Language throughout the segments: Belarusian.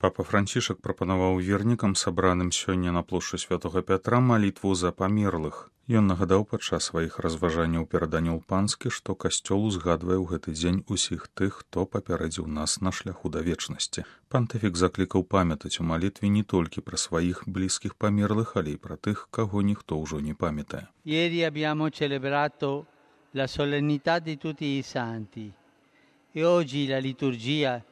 Папа Францішак прапанаваў вернікам, сабраным сёння на плошчы Святога Пятра, малітву за памерлых. Ён нагадаў падчас сваіх разважанняў перад Анёл Панскі, што касцёл узгадвае ў гэты дзень усіх тых, хто папярэдзіў нас на шляху да вечнасці. Пантыфік заклікаў памятаць у малітве не толькі пра сваіх блізкіх памерлых, але і пра тых, каго ніхто ўжо не памятае. Ieri abbiamo celebrato la solennità di tutti i santi e oggi la liturgia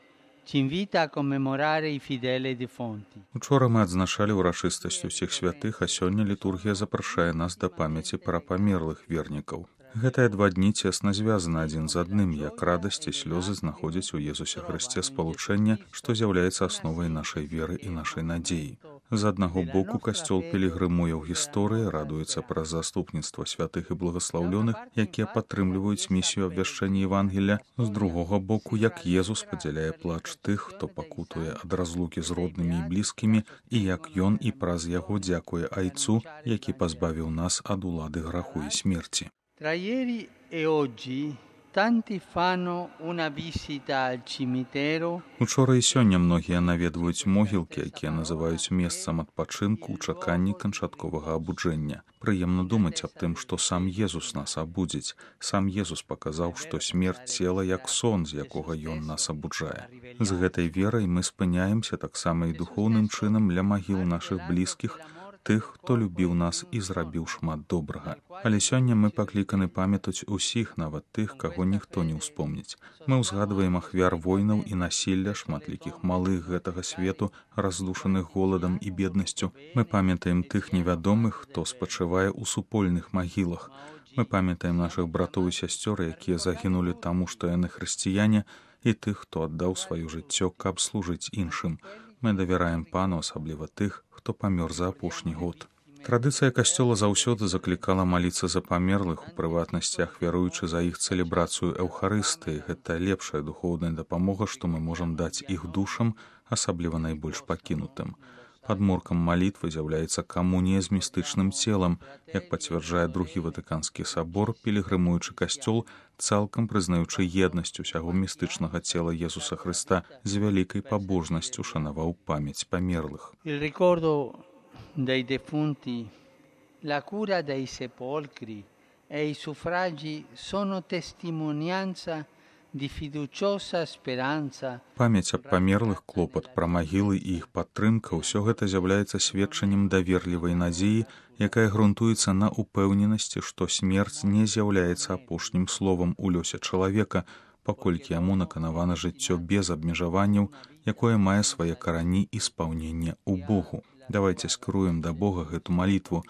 ci invita a commemorare i fedeli defunti. Учора мы адзначалі ўрачыстасць усіх святых, а сёння літургія запрашае нас да памяці пра памерлых вернікаў. Гэтыя два дні цесна звязаны адзін з адным, як радасць і слёзы знаходзяць у Езусе Хрысце спалучэнне, што з'яўляецца асновай нашай веры і нашай надзеі. З аднаго боку, касцёл пілігрымуе ў гісторыі, радуецца праз заступніцтва святых і благаслаўлёных, якія падтрымліваюць місію абвяшчэння Евангелля. З другога боку, як Езус падзяляе плач тых, хто пакутуе ад разлукі з роднымі і блізкімі, і як ён і праз яго дзякуе Айцу, які пазбавіў нас ад улады граху і смерці. Tra ieri e oggi tanti fanno una visita al cimitero. Учора і сёння многія наведваюць могілкі, якія называюць месцам адпачынку ў чаканні канчатковага абуджэння. Прыемна думаць аб тым, што сам Езус нас абудзіць. Сам Езус паказаў, што смерць цела як сон, з якога ён нас абуджае. З гэтай верай мы спыняемся таксама і духоўным чынам ля магіл нашых блізкіх, тых, хто любіў нас і зрабіў шмат добрага. Але сёння мы пакліканы памятаць усіх, нават тых, каго ніхто не ўспомніць. Мы ўзгадваем ахвяр войнаў і насілля, шматлікіх малых гэтага свету, раздушаных голадам і беднасцю. Мы памятаем тых невядомых, хто спачывае ў супольных магілах. Мы памятаем нашых братоў і сясцёр, якія загінулі таму, што яны хрысціяне, і тых, хто аддаў сваё жыццё, каб служыць іншым. Мы давяраем Пану, асабліва тых, хто памёр за апошні год. Традыцыя касцёла заўсёды заклікала маліцца за памерлых, у прыватнасці ахвяруючы за іх цэлебрацыю Эўхарыстыі. Гэта лепшая духоўная дапамога, што мы можам даць іх душам, асабліва найбольш пакінутым. Падмуркам малітвы з'яўляецца камунія з містычным целам, як пацвярджае другі Ватыканскі сабор, пілігрымуючы касцёл, цалкам прызнаючы еднасць усяго містычнага цела Езуса Хрыста, з вялікай пабожнасцю шанаваў памяць памерлых. Il ricordo dei defunti, la cura dei sepolcri e i suffragi sono testimonianza di fiduciosa speranza. Памяць аб памерлых, клопат пра магілы і іх падтрымка — ўсё гэта з'яўляецца сведчаннем даверлівай надзеі, якая грунтуецца на упэўненасці, што смерць не з'яўляецца апошнім словам у лёсе чалавека, паколькі яму наканавана жыццё без абмежаванняў, якое мае свае карані і спаўненне ў Богу. Давайце скіруем да Бога гэту малітву.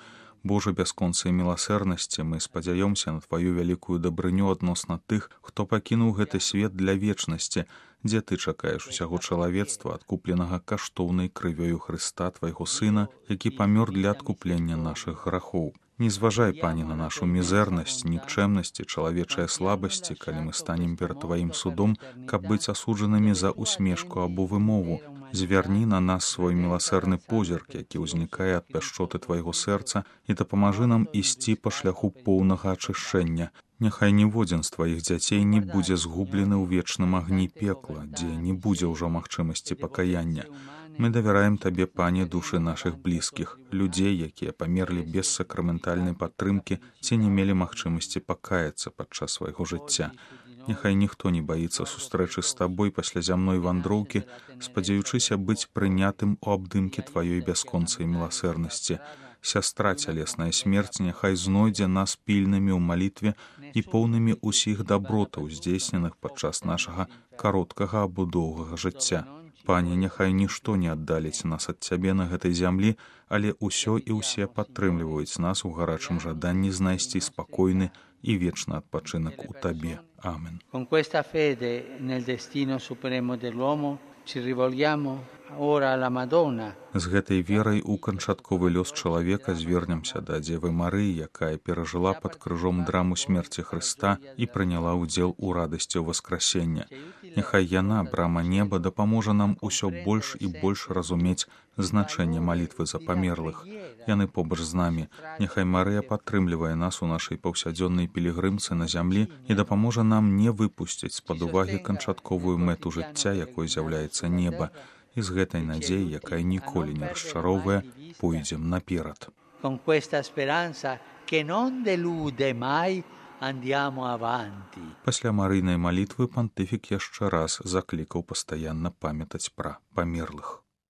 Божа бясконцай міласэрнасці, мы спадзяёмся на Тваю вялікую дабрыню адносна тых, хто пакінуў гэты свет для вечнасці, дзе Ты чакаеш усяго чалавецтва, адкупленага каштоўнай крывёю Хрыста, Твайго Сына, які памёр для адкуплення нашых грахоў. Не зважай, Пане, на нашу мізэрнасць, нікчэмнасць і чалавечыя слабасці, калі мы станем перад Тваім судом, каб быць асуджанымі за усмешку або вымову. Звярні на нас свой міласэрны позірк, які ўзнікае ад пяшчоты Твайго сэрца, і дапамажы нам ісці па шляху поўнага ачышчэння. Няхай ніводзін з Тваіх дзяцей не будзе згублены ў вечным агні пекла, дзе не будзе ўжо магчымасці пакаяння. Мы давяраем Табе, Пане, душы нашых блізкіх, людзей, якія памерлі без сакраментальнай падтрымкі ці не мелі магчымасці пакаяцца падчас свайго жыцця. Няхай ніхто не баіцца сустрэчы з Табой пасля зямной вандроўкі, спадзяючыся быць прынятым у абдымкі Тваёй бясконцай міласэрнасці. Сястра цялесная смерць няхай знойдзе нас пільнымі ў малітве і поўнымі ўсіх дабротаў, здзейсненых падчас нашага кароткага або доўгага жыцця. Пане, няхай нішто не аддаліць нас ад Цябе на гэтай зямлі, але ўсё і ўсе падтрымліваюць нас у гарачым жаданні знайсці спакойны і вечны адпачынак у Табе. Амен. Con questa fede nel destino supremo dell'uomo ci rivolgiamo ora alla Madonna. З гэтай верай у канчатковы лёс чалавека звернемся да Дзевы Марыі, якая перажыла пад крыжом драму смерці Хрыста і прыняла ўдзел у радасці воскресення. Няхай яна, брама неба, дапаможа нам усё больш і больш разумець значэнне малітвы за памерлых. Яны побач з намі. Няхай Марыя падтрымлівае нас у нашай паўсядзённай пілігрымцы на зямлі і дапаможа нам не выпусціць з-пад увагі канчатковую мэту жыцця, якой з'яўляецца неба. І з гэтай надзеяй, якая ніколі не расчароўвае, пойдзем наперад. Con questa speranza che non delude mai andiamo avanti. Пасля марыйнай малітвы пантыфік яшчэ раз заклікаў пастаянна памятаць пра памерлых.